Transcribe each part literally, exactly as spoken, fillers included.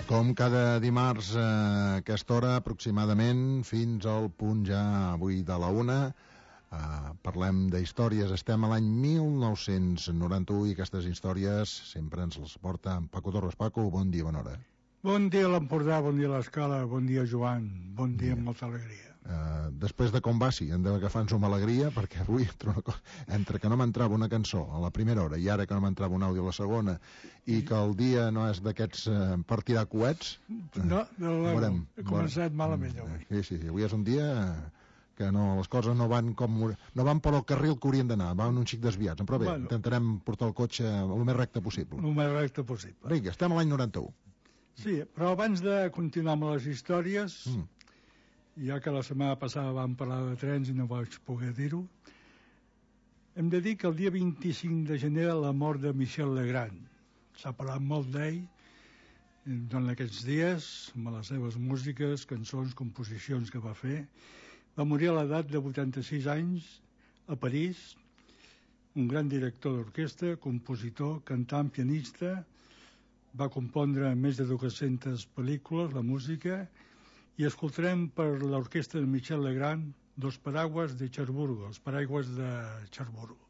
Com cada dimarts a aquesta hora aproximadament fins al punt ja avui de la una, eh, parlem d'històries. Estem a l'any mil nou-cents noranta-u i aquestes històries sempre ens les porta en Paco Torres. Paco, bon dia, bona hora. Bon dia a l'Empordà, bon dia a l'Escala, bon dia Joan, bon dia amb molta alegria. Uh, després de com va, sí, hem d'agafar-nos amb alegria, perquè avui entre, una cosa, entre que no m'entrava una cançó a la primera hora i ara que no m'entrava un àudio a la segona i que el dia no és d'aquests uh, per tirar coets, no, no, no, veurem, he començat veurem. malament avui. Sí, sí, sí, avui és un dia que no, les coses no van com no van per al carril que haurien d'anar, van un xic desviats, però bé, bueno, intentarem portar el cotxe el més recte possible. El més recte possible. Vinga, estem a l'any noranta-u. Sí, però abans de continuar amb les històries, mm. ja que la setmana passada vam parlar de trens i no vaig poder dir-ho, hem de dir que el dia vint-i-cinc de gener la mort de Michel Legrand. S'ha parlat molt d'ell durant aquests dies, amb les seves músiques, cançons, composicions que va fer. Va morir a l'edat de vuitanta-sis anys a París, un gran director d'orquestra, compositor, cantant, pianista. Va compondre més de dues-centes pel·lícules, la música, i escoltarem per l'orquestra de Michel Legrand Dos Paraguas de Cherburgo, els paraigües de Cherburgo.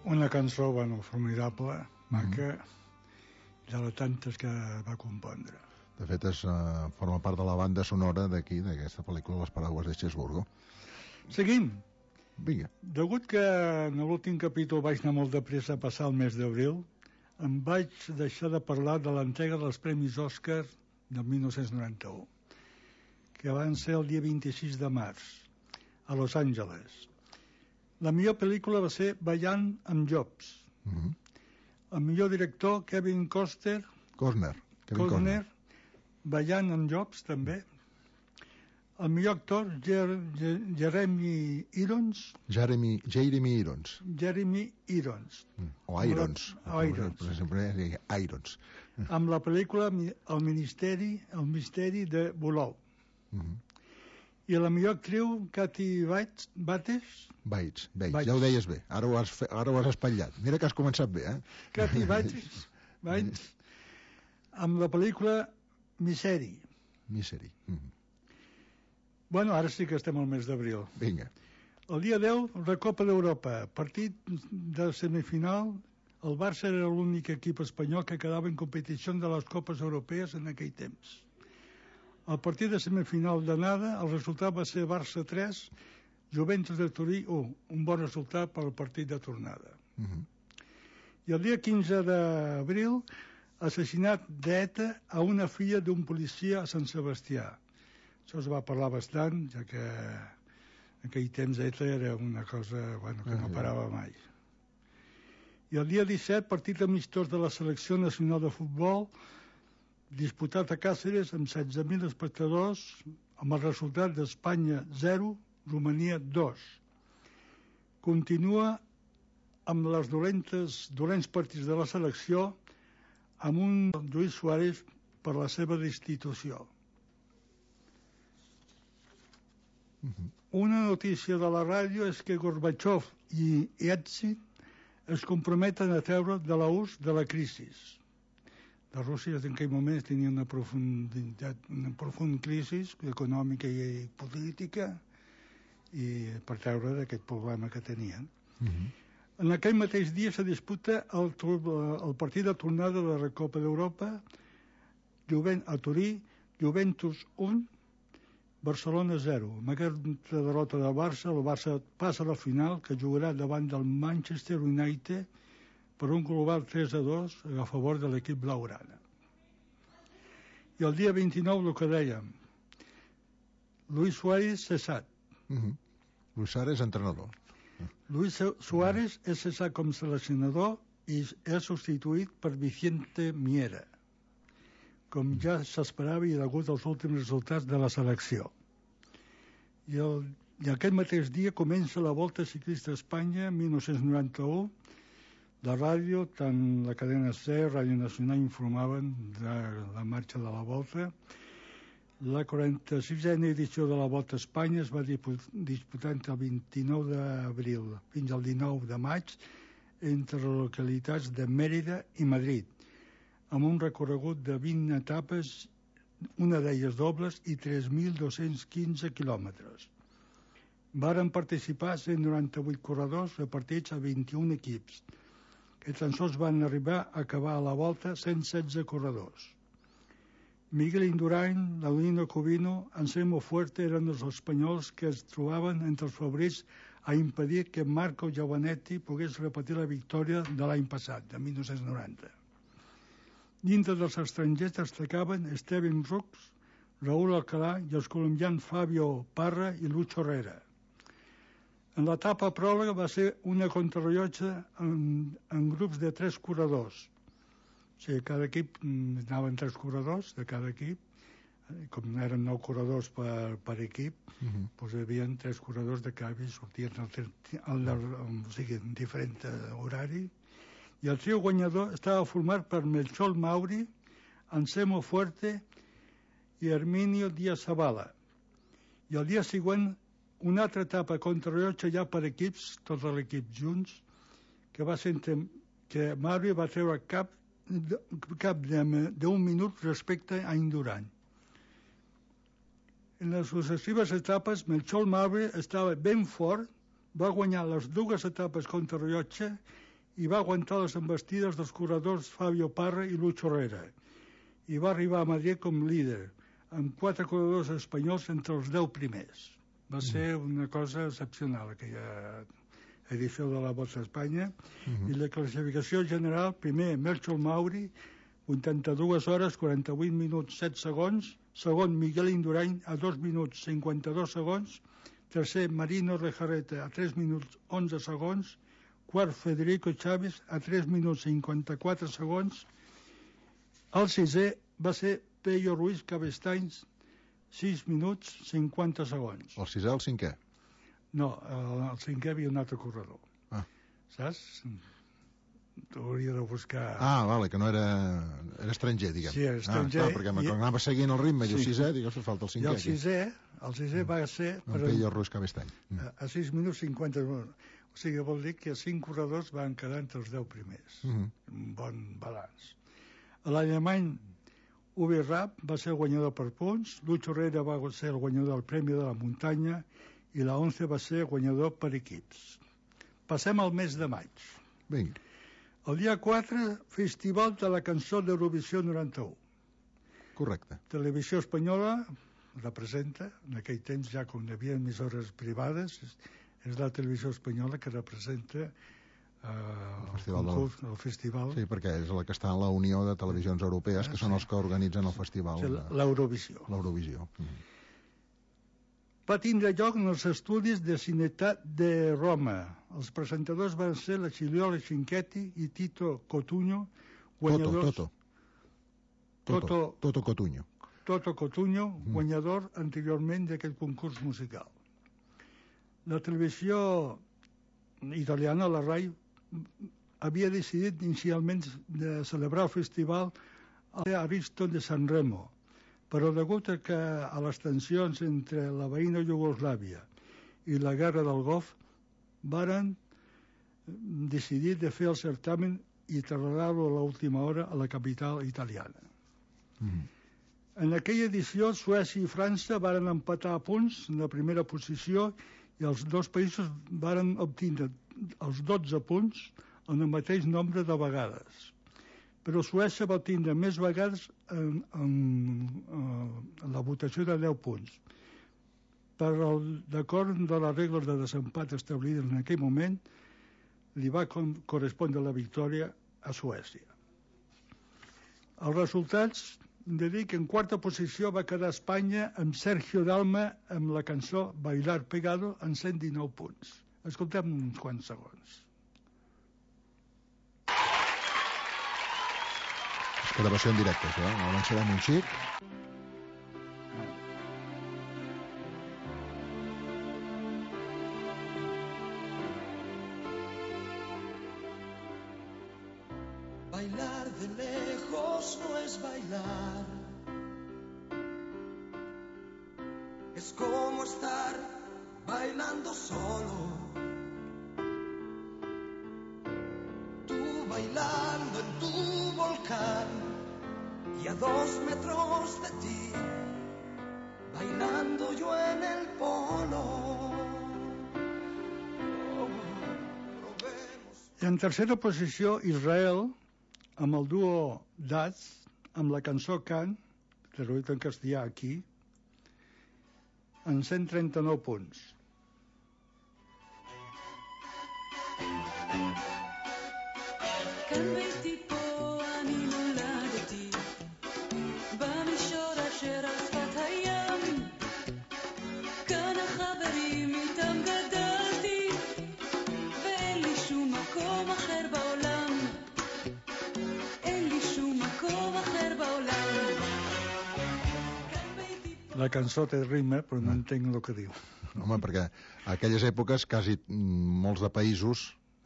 Una cançó, bueno, formidable, maca, mm. de les tantes que va compondre. De fet, és, uh, forma part de la banda sonora d'aquí, d'aquesta pel·lícula, Les Paraguas de Cherburgo. Seguim. Vinga. Degut que en l'últim capítol vaig anar molt de pressa a passar el mes d'abril, em vaig deixar de parlar de l'entrega dels Premis Òscar del mil nou-cents noranta-u, que van ser el dia vint-i-sis de març, a Los Angeles. La millor pel·lícula va ser Ballant amb Jobs. Mm-hmm. El millor director, Kevin Costner. Costner. Kevin Costner. Ballant amb Jobs, també. El millor actor, Jer Jer Jeremy Irons. Jeremy, Jeremy Irons. Jeremy Irons. Mm. O Irons. O Irons. Per exemple, Irons. Amb la pel·lícula El Ministeri, el misteri de Bulou. Mm-hmm. I la millor actriu, Kathy Bates, Bates? Bates, Bates, ja ho deies bé. Ara ho has, fe... Ara ho has espatllat. Mira que has començat bé, eh? Kathy Bates, Bates, amb la pel·lícula Misery. Misery. Mm-hmm. Bueno, ara sí que estem al mes d'abril. Vinga. El dia deu, Recopa d'Europa. Partit de semifinal. El Barça era l'únic equip espanyol que quedava en competició de les Copes Europees en aquell temps. Al partit de semifinal d'anada, el resultat va ser Barça tres, Juventus de Turí u, un bon resultat per al partit de tornada. Uh-huh. I el dia quinze d'abril, assassinat d'ETA a una filla d'un policia a Sant Sebastià. Això es va parlar bastant, ja que en aquell temps ETA era una cosa, bueno, que no parava mai. I el dia disset, partit amistós de la selecció nacional de futbol, disputat a Càceres amb setze mil espectadors, amb el resultat d'Espanya zero, Romania dos. Continua amb les dolentes, dolents partits de la selecció amb un Lluís Suárez per la seva destitució. Uh-huh. Una notícia de la ràdio és que Gorbachev i Yeltsin es comprometen a treure de l'ús de la crisi. La Rússia en aquell moment tenia una profunditat, una profunda crisi econòmica i política i per treure d'aquest problema que tenien. Uh-huh. En aquell mateix dia se disputa el, el partit de tornada de la Recopa d'Europa a Turí, Juventus un, Barcelona zero. Amb aquesta derrota del Barça, el Barça passa a la final, que jugarà davant del Manchester United per un global tres a dos a favor de l'equip blaugrana. I el dia vint-i-nou, el que dèiem, Luis Suárez cessat. Uh-huh. Luis Suárez, entrenador. Luis Suárez és cessat com seleccionador i és substituït per Vicente Miera. com ja s'esperava i degut als últims resultats de la selecció. I, el, i aquest mateix dia comença la Volta Ciclista a Espanya, mil nou-cents noranta-u. La ràdio, tant la cadena C, Ràdio Nacional, informaven de la marxa de la Volta. La quaranta-sisena edició de la Volta a Espanya es va disputar entre el vint-i-nou d'abril fins al dinou de maig entre les localitats de Mèrida i Madrid, amb un recorregut de vint etapes, una d'elles dobles, i tres mil dos-cents quinze quilòmetres. Varen participar cent noranta-vuit corredors repartits a vint-i-un equips, que tan sols van arribar a acabar a la volta cent setze corredors. Miguel Indurain, Laurino Covino, Anselmo Fuerte eren els espanyols que es trobaven entre els favorits a impedir que Marco Giovanetti pogués repetir la victòria de l'any passat, de mil nou-cents noranta. Dintre dels estrangers destacaven Steven Rux, Raúl Alcalá i els colombians Fabio Parra i Lucho Herrera. En l'etapa pròloga va ser una contrarellotge en, en grups de tres corredors. O sigui, cada equip anaven tres corredors de cada equip, com eren nou corredors per, per equip, uh-huh. doncs hi havia tres corredors de cada i sortien al, al, al, o sigui, en diferent horari. I el trio guanyador estava format per Melchor Mauri, Anselmo Fuerte i Herminio Díaz Zavala. I el dia següent una altra etapa contrarellotge ja per equips, tots l'equip junts, que va ser que Mauri va treure cap cap d'un minut respecte a Indurain. En les successives etapes, Melchor Mauri estava ben fort, va guanyar les dues etapes contrarellotge i va aguantar les embestides dels corredors Fabio Parra i Lucho Herrera. I va arribar a Madrid com líder, amb quatre corredors espanyols entre els deu primers. Va ser una cosa excepcional, aquella edició de la Volta a Espanya. Uh-huh. I la classificació general, primer Melchor Mauri, vuitanta-dues hores, quaranta-vuit minuts, set segons. Segon, Miguel Indurain, a dos minuts, cinquanta-dos segons. Tercer, Marino Lejarreta, a tres minuts, onze segons. Quart, Federico Chávez, a tres minuts, cinquanta-quatre segons. El sisè va ser Pello Ruiz Cabestany, sis minuts, cinquanta segons. El sisè, el cinquè? No, el, el cinquè havia un altre corredor. Ah. Saps? T'hauria de buscar... Ah, vale, que no era... Era estranger, diguem. Sí, era estranger. Ah, clar, perquè i... anava seguint el ritme i sí. El sisè, digues, falta el cinquè. I el sisè, el sisè va ser... Per Pello Ruiz Cabestany. A, a sis minuts cinquanta segons. O sigui, vol dir que cinc corredors van quedar entre els deu primers. Uh -huh. Un bon balanç. L'alemany Uwe Rapp va ser el guanyador per punts, Lucho Herrera va ser el guanyador del Premi de la Muntanya i la Once va ser guanyador per equips. Passem al mes de maig. Vinga. El dia quatre, Festival de la Cançó d'Eurovisió noranta-u. Correcte. Televisió Espanyola representa, en aquell temps ja com hi havia emissores privades, és, és la Televisió Espanyola que representa eh, el, festival el, concurs, del... el festival. Sí, perquè és la que està en la Unió de Televisions Europees, que ah, són sí. els que organitzen el festival. Sí, L'Eurovisió. L'Eurovisió. Mm. Va tindre lloc en els estudis de Cinetat de Roma. Els presentadors van ser la Chiliole Cinquetti i Tito Cotuño, guanyadors... Toto, Toto. Toto, Toto Cotuño. Toto Cotuño, mm. guanyador anteriorment d'aquest concurs musical. La televisió italiana, la RAI, havia decidit inicialment de celebrar el festival a l'Ariston de Sanremo, però degut a, que a les tensions entre la veïna Iugoslàvia i la guerra del Golf varen decidir de fer el certamen i traslladar-lo a l'última hora a la capital italiana. Mm. En aquella edició, Suècia i França varen empatar a punts en la primera posició i els dos països varen obtenir els dotze punts en el mateix nombre de vegades. Però Suècia va tindre més vegades en, en, en la votació de deu punts. Per l'acord de les regles de desempat establides en aquell moment, li va correspondre la victòria a Suècia. Els resultats, de dir que en quarta posició va quedar Espanya amb Sergio Dalma amb la cançó Bailar Pegado en cent dinou punts. Escoltem uns quants segons. gravació en directe, això, eh? Avançarem un xic. Bailar de lejos no es bailar, es como estar bailando solo. Tú bailando en tu volcán y a dos metros de ti, bailando yo en el polo. Oh, probemos. I en tercera posició, Israel, amb el duo Daz, amb la cançó Can, traduït en castellà aquí, en cent trenta-nou punts. כאן ביתי פה אני נולדתי במישור אשר על שפת הים כאן החברים איתם גדלתי ואין לי שום מקום אחר בעולם אין לי שום מקום אחר בעולם כאן ביתי פה La cançó té rima, però no entenc el que diu. Home, perquè a aquelles èpoques quasi mm, molts de països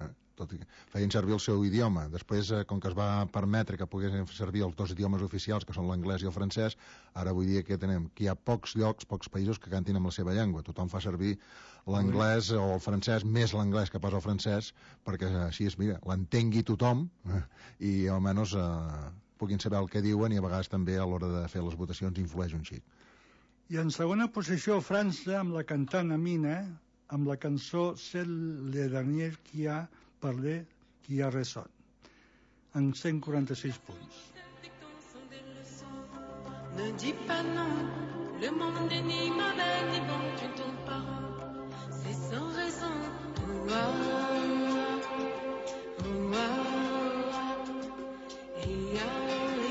eh, tot i que feien servir el seu idioma. Després, eh, com que es va permetre que poguessin fer servir els dos idiomes oficials, que són l'anglès i el francès, ara vull dir que tenem que hi ha pocs llocs, pocs països que cantin amb la seva llengua. Tothom fa servir l'anglès o el francès, més l'anglès que pas el francès, perquè així és, mira, l'entengui tothom eh, i almenys eh, puguin saber el que diuen i a vegades també a l'hora de fer les votacions influeix un xic. I en segona posició, França, amb la cantant Amina, amb la cançó C'est le dernier qui a parlé, qui a raison, en cent quaranta-sis punts. Ne dis pas non, le monde énigme avec des bons, tu ne tournes pas rond, c'est sans raison. Ouah, ouah, ia,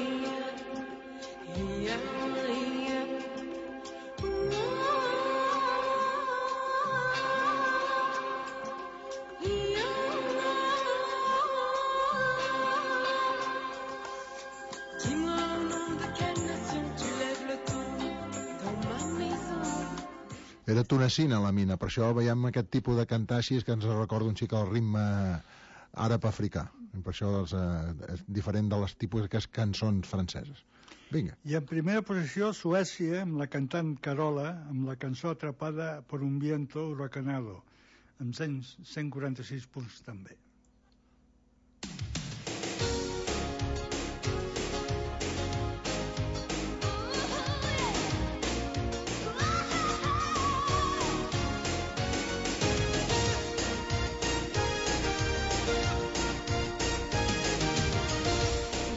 ia, ia, ia. Era tunecina, la Mina, per això veiem aquest tipus de cantar així que ens recorda un xic el ritme àrab africà. Per això és, eh, és diferent de les tipus d'aquestes cançons franceses. Vinga. I en primera posició, Suècia, amb la cantant Carola, amb la cançó Atrapada por un viento huracanado, amb cent quaranta-sis punts també.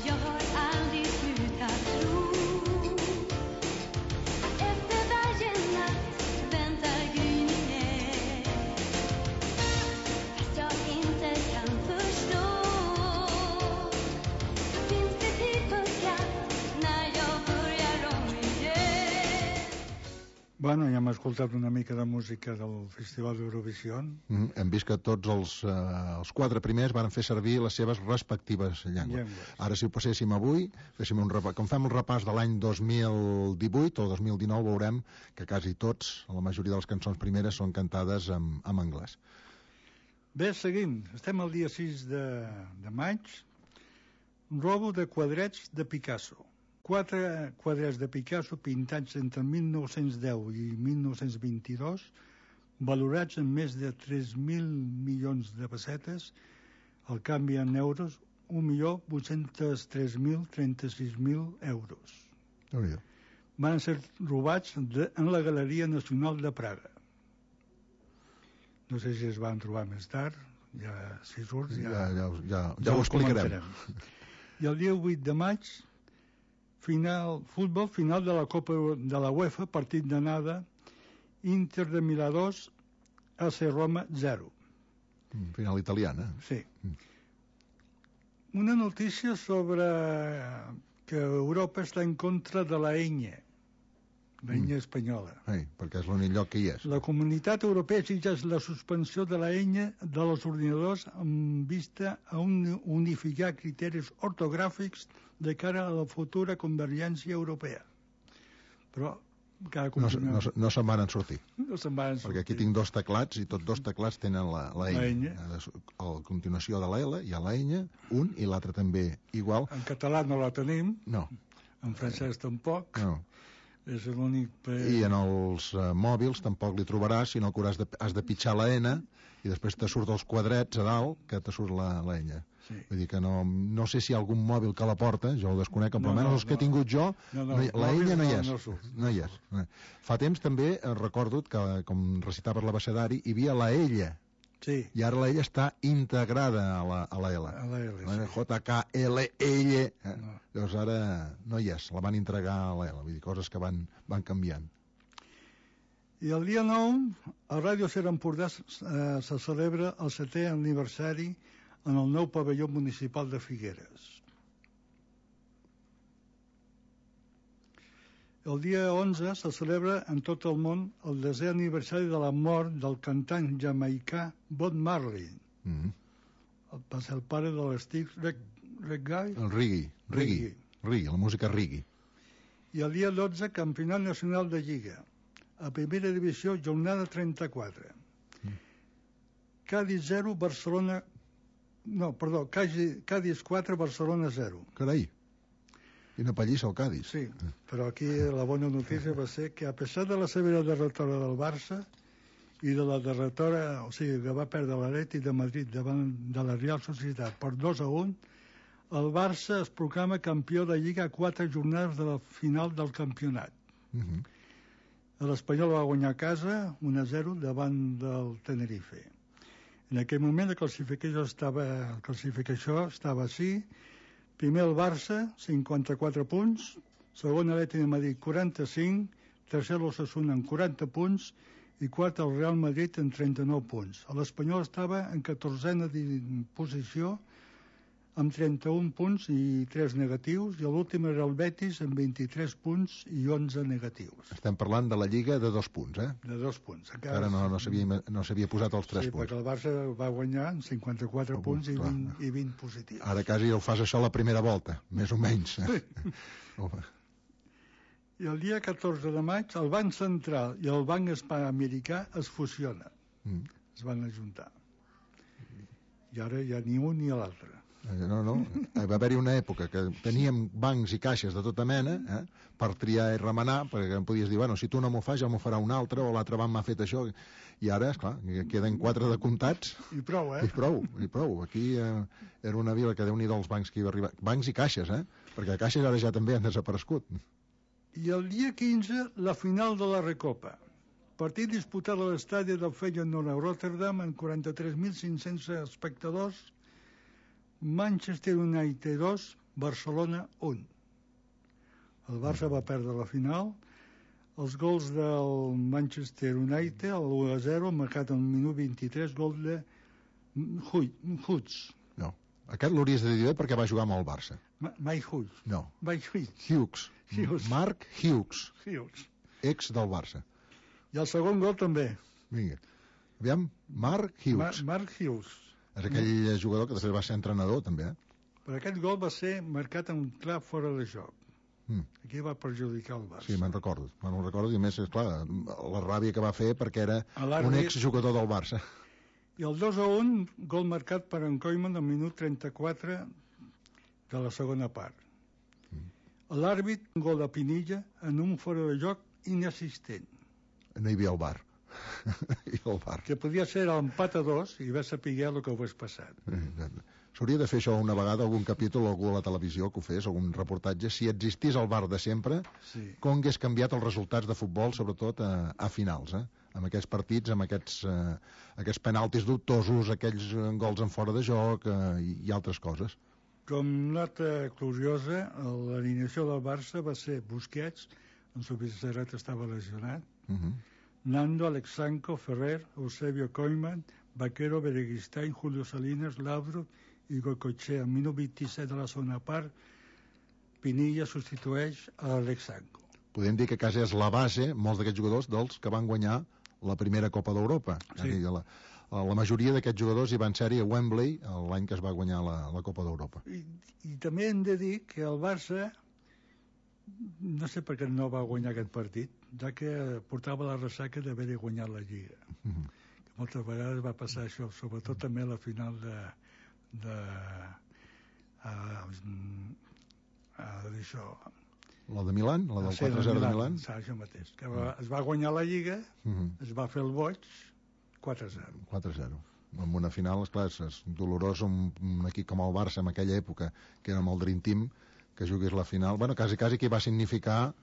Jag har aldrig slutat tro att efter varje natt väntar gryningen. Fast jag inte kan förstå, finns det tid för skratt när jag börjar om igen. Bueno, ja hem escoltat una mica de música del Festival d'Eurovisió. Mm, hem vist que tots els, eh, els quatre primers van fer servir les seves respectives llengües. Llengües. Ara, si ho passéssim avui, féssim un repàs, com fem el repàs de l'any dos mil divuit o dos mil dinou, veurem que quasi tots, la majoria de les cançons primeres, són cantades en, en anglès. Bé, seguim. Estem al dia sis de, de maig. Robo de quadrets de Picasso. Quatre quadrets de Picasso pintats entre mil nou-cents deu i mil nou-cents vint-i-dos, valorats en més de tres mil milions de pessetes, al canvi en euros, un milió vuit-cents tres mil trenta-sis mil euros. Déu-n'hi-do. Van ser robats de, en la Galeria Nacional de Praga. No sé si es van trobar més tard, ja si surts ja, Ja, ja, ja, ja ho explicarem. comentarem. I el dia vuit de maig, final, futbol, final de la Copa de la UEFA, partit d'anada, Inter de Milà dos, A C Roma zero. Mm, Final italiana. Sí. Una notícia sobre que Europa està en contra de la enya, l'enya espanyola. Ei, perquè és l'únic lloc que hi és. La Comunitat Europea exigeix la suspensió de la enya dels ordinadors amb vista a un, unificar criteris ortogràfics de cara a la futura convergència europea. Però cada No, se- no, se- no se'n van sortir. no se'n van Perquè aquí tinc dos teclats i tots dos teclats tenen la, la La enya. enya. A la continuació de la L hi ha la enya, un i l'altre també igual. En català no la tenim, No, en francès tampoc. no. És l'únic... I en els uh, mòbils tampoc li trobaràs, sinó que hauràs de, has de pitjar la N i després te surt els quadrets a dalt que te surt la, la enya. Sí. Vull dir que no, no sé si hi ha algun mòbil que la porta, jo el desconec, però No, almenys no, els que no. he tingut jo, No, no, no hi- la mòbils enya no hi no- és. no surt. No hi és. Fa temps també, eh, recordo que, com recitaves l'abecedari, hi havia la ella, Sí, i ara la ella està integrada a la, a la L. a la L, La sí. J K L L. Eh? No. Llavors ara no hi és, la van entregar a la L, vull dir, coses que van, van canviant. I el dia nou, a Ràdio Ser Empordà eh, se celebra el setè aniversari en el nou pavelló municipal de Figueres. El dia onze se celebra en tot el món el desè aniversari de la mort del cantant jamaicà Bob Marley. Mm. Va ser el pare de l'Stig Reggae. El reggae, reggae, reggae, la música reggae. I el dia dotze, Campionat Nacional de Lliga. A primera divisió, jornada trenta-quatre. Mm. Cádiz zero, Barcelona... No, perdó, Cádiz, Cádiz quatre, Barcelona zero. Carai, quina pallissa el Cádiz. Sí, però aquí la bona notícia va ser que a pesar de la severa derrotora del Barça i de la derrotora, o sigui, que va perdre l'Atlètic de Madrid davant de la Real Societat per dos a un, el Barça es proclama campió de Lliga a quatre jornades de la final del campionat. Mm -hmm. L'Espanyol va guanyar a casa un a zero davant del Tenerife. En aquell moment la classificació estava, la classificació estava així. Primer el Barça, cinquanta-quatre punts. Segon l'Atlètic de Madrid, quaranta-cinc. Tercer l'Osasuna amb quaranta punts. I quart el Real Madrid amb trenta-nou punts. L'Espanyol estava en catorzena posició amb trenta-un punts i tres negatius, i l'últim era el Betis amb vint-i-tres punts i onze negatius. Estem parlant de la Lliga de dos punts, eh? De dos punts. Encara no, no s'havia no s'havia posat els tres Sí, punts. perquè el Barça va guanyar amb cinquanta-quatre Oh, punts i clar. vint, i vint positius. Ara quasi el fas això la primera volta, més o menys. Eh? Home, I el dia catorze de maig el Banc Central i el Banc Hispanoamericà es fusionen, mm. es van ajuntar. I ara ja ni un ni l'altre. Eh, No, no. Eh, Va haver-hi una època que teníem bancs i caixes de tota mena, eh, per triar i remenar, perquè em podies dir, bueno, si tu no m'ho fas, ja m'ho farà un altre, o l'altre banc m'ha fet això. I ara, esclar, queden quatre de comptats, I prou, eh? i prou, i prou. Aquí eh, era una vila que déu-n'hi-do els bancs que hi va arribar. Bancs i caixes, eh? Perquè caixes ara ja també han desaparegut. I el dia quinze, la final de la Recopa. Partit disputat a l'estadi del Feyenoord a Rotterdam amb quaranta-tres mil cinc-cents espectadors. Manchester United dos, Barcelona un. El Barça va perdre la final. Els gols del Manchester United, el u a zero, marcat al minut vint-i-tres, gol de Hughes. No. Aquest l'hauries de dir bé perquè va jugar amb el Barça. Ma- Mike Hughes. No. Mike Hughes. Hughes. Hughes. Marc Hughes, Hughes. ex del Barça. I el segon gol també. Vinga. Aviam, Marc Hughes. Ma Mark Hughes. És aquell jugador que després va ser entrenador, també, eh? Però aquest gol va ser marcat en un clar fora de joc. Mm. Aquí va perjudicar el Barça. Sí, me'n recordo. Me'n recordo, i a més, esclar, la ràbia que va fer perquè era A l'àrbit- un exjugador del Barça. I el dos a un, gol marcat per en Koeman al minut trenta-quatre de la segona part. L'àrbit, un gol de Pinilla en un fora de joc inexistent, No hi havia el bar. I el bar. que podia ser l'empat a dos i va saber el que hagués passat. S'hauria de fer això una vegada, algun capítol, algú a la televisió que ho fes, algun reportatge, si existís el bar de sempre, Sí. com hagués canviat els resultats de futbol, sobretot a, a finals, eh? Amb aquests partits, amb aquests, eh, aquests penaltis dubtosos, aquells eh, gols en fora de joc eh, i, i altres coses. Com nota curiosa, l'alineació del Barça va ser Busquets, en Subisseret estava lesionat, Uh -huh. Nando, Alexanco, Ferrer, Eusebio Koeman, Vaquero, Bereguistain, Julio Salinas, Laudrup i Goicoechea. Al minut vint-i-set de la segona part, Pinilla substitueix a Alexanco. podem dir que quasi és la base, molts d'aquests jugadors, dels que van guanyar la primera Copa d'Europa. Sí. La, la majoria d'aquests jugadors hi van ser-hi a Wembley l'any que es va guanyar la, la Copa d'Europa. I, I també hem de dir que el Barça, no sé per què no va guanyar aquest partit, ja que portava la ressaca d'haver guanyat la Lliga. Mm-hmm. Que moltes vegades va passar això, sobretot també a la final de... de a, a, d'això... La de Milan? La del Sí, quatre a zero de Milan? Sí, això mateix. Que va, es va guanyar la Lliga, Mm-hmm. es va fer el boig, quatre a zero. quatre a zero. En una final, esclar, és dolorós un, un equip com el Barça en aquella època, que era amb el Dream Team, que jugués la final. Bueno, quasi, quasi que va significar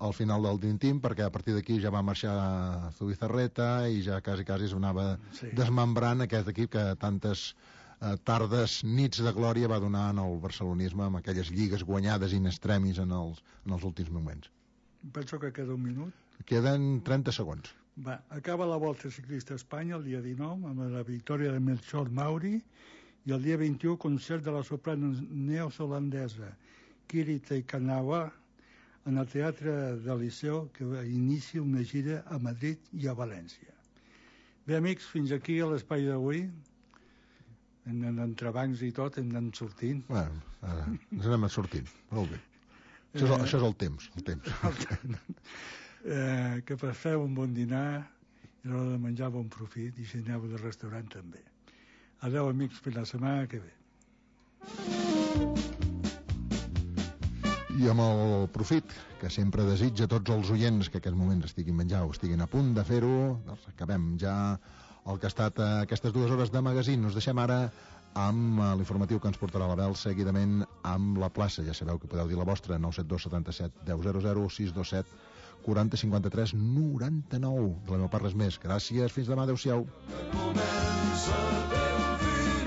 el final del Dream Team, perquè a partir d'aquí ja va marxar Zubizarreta i ja quasi, quasi es anava Sí. desmembrant aquest equip que tantes eh, tardes, nits de glòria va donar en el barcelonisme amb aquelles lligues guanyades in extremis en els, en els últims moments. Penso que queda un minut. Queden trenta segons. Va, acaba la Volta Ciclista a Espanya el dia dinou amb la victòria de Melchor Mauri i el dia vint-i-u concert de la soprano neozelandesa Kiri Teikanawa en el Teatre del Liceu, que inicia una gira a Madrid i a València. Bé, amics, fins aquí a l'espai d'avui. En, en entrebancs i tot hem d'anar sortint. Bueno, ara ens anem sortint. Molt bé. Això és, el, això és el temps. El temps. eh, que passeu un bon dinar i a l'hora de menjar bon profit i si aneu del restaurant també. Adeu, amics, fins la setmana que ve. I amb el profit que sempre desitja a tots els oients que en aquests moments estiguin menjant o estiguin a punt de fer-ho, doncs acabem ja el que ha estat eh, aquestes dues hores de magazín. Us deixem ara amb eh, l'informatiu que ens portarà la Bel, seguidament amb la plaça. Ja sabeu que podeu dir la vostra, nou set dos setanta-set deu zero zero, sis dos set quaranta cinquanta-tres noranta-nou. De la meva part res més. Gràcies, fins demà, adeu-siau. Comença a